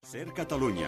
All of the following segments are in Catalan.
SER Catalunya.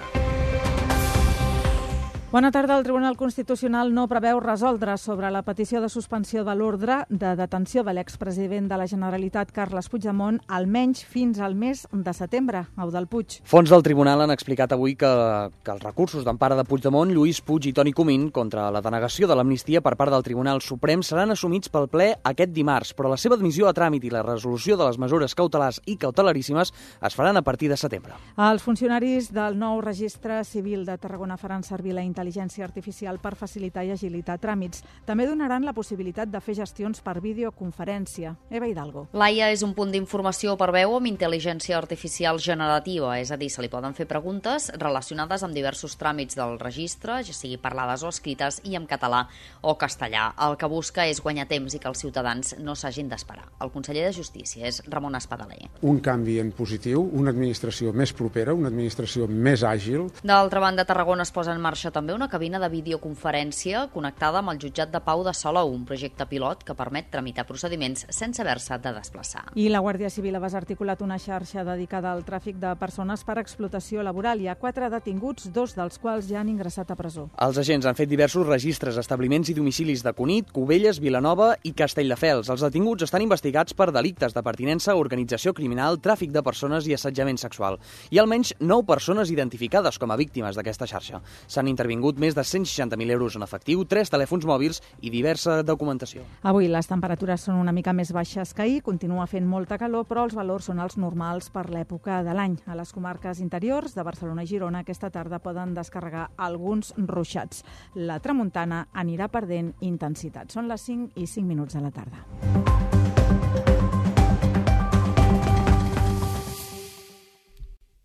Bona tarda. El Tribunal Constitucional no preveu resoldre sobre la petició de suspensió de l'ordre de detenció de l'expresident de la Generalitat, Carles Puigdemont, almenys fins al mes de setembre. Eudald Puig. Fons del Tribunal han explicat avui que els recursos d'empara de Puigdemont, Lluís Puig i Toni Comín contra la denegació de l'amnistia per part del Tribunal Suprem seran assumits pel ple aquest dimarts, però la seva admissió a tràmit i la resolució de les mesures cautelars i cautelaríssimes es faran a partir de setembre. Els funcionaris del nou registre civil de Tarragona faran servir la intel·ligència artificial per facilitar i agilitar tràmits. També donaran la possibilitat de fer gestions per videoconferència. Eva Hidalgo. L'AIA és un punt d'informació per veu amb intel·ligència artificial generativa, és a dir, se li poden fer preguntes relacionades amb diversos tràmits del registre, ja sigui parlades o escrites, i en català o castellà. El que busca és guanyar temps i que els ciutadans no s'hagin d'esperar. El conseller de Justícia és Ramon Espadaler. Un canvi en positiu, una administració més propera, una administració més àgil. D'altra banda, a Tarragona es posa en marxa també una cabina de videoconferència connectada amb el jutjat de Pau de Salou, un projecte pilot que permet tramitar procediments sense haver-se de desplaçar. I la Guàrdia Civil ha desarticulat una xarxa dedicada al tràfic de persones per explotació laboral. Hi ha 4 detinguts, 2 dels quals ja han ingressat a presó. Els agents han fet diversos registres, establiments i domicilis de Cunit, Cubelles, Vilanova i Castelldefels. Els detinguts estan investigats per delictes de pertinença a organització criminal, tràfic de persones i assetjament sexual. Hi ha almenys 9 persones identificades com a víctimes d'aquesta xarxa. S'han intervingut més de 160.000 euros en efectiu, 3 telèfons mòbils i diversa documentació. Avui les temperatures són una mica més baixes que ahir, continua fent molta calor, però els valors són els normals per l'època de l'any. A les comarques interiors de Barcelona i Girona aquesta tarda poden descarregar alguns ruixats. La tramuntana anirà perdent intensitat. Són les 5 i 5 minuts de la tarda.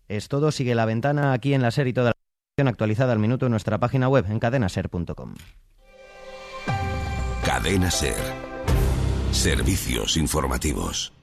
Es todo, sigue La Ventana aquí en la SER y toda la información actualizada al minuto en nuestra página web en cadenaser.com. Cadena SER. Servicios informativos.